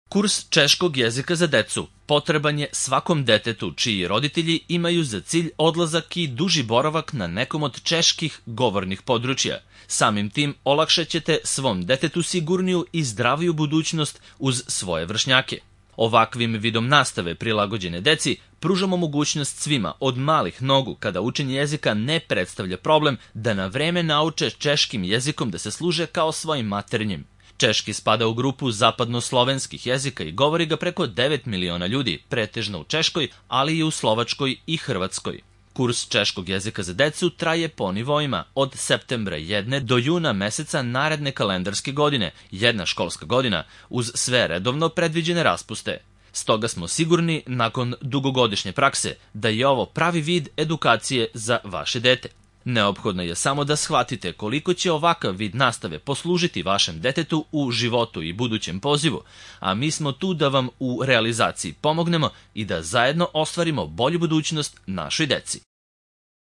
Kurs češkog jezika za decu potreban je svakom detetu čiji roditelji imaju za cilj odlazak i duži boravak na nekom od čeških govornih područja. Samim tim olakšat ćete svom detetu sigurniju i zdraviju budućnost uz svoje vršnjake. Ovakvim vidom nastave prilagođene deci pružamo mogućnost svima od malih nogu, kada učenje jezika ne predstavlja problem, da na vreme nauče češkim jezikom da se služe kao svojim maternjim. Češki spada u grupu zapadnoslovenskih jezika i govori ga preko 9 miliona ljudi, pretežno u Češkoj, ali i u Slovačkoj i Hrvatskoj. Kurs češkog jezika za decu traje po nivoima od septembra 1 do juna meseca naredne kalendarske godine, jedna školska godina, uz sve redovno predviđene raspuste. Stoga smo sigurni, nakon dugogodišnje prakse, da je ovo pravi vid edukacije za vaše dete. Neophodno je samo da shvatite koliko će ovakav vid nastave poslužiti vašem detetu u životu i budućem pozivu, a mi smo tu da vam u realizaciji pomognemo i da zajedno ostvarimo bolju budućnost našoj deci.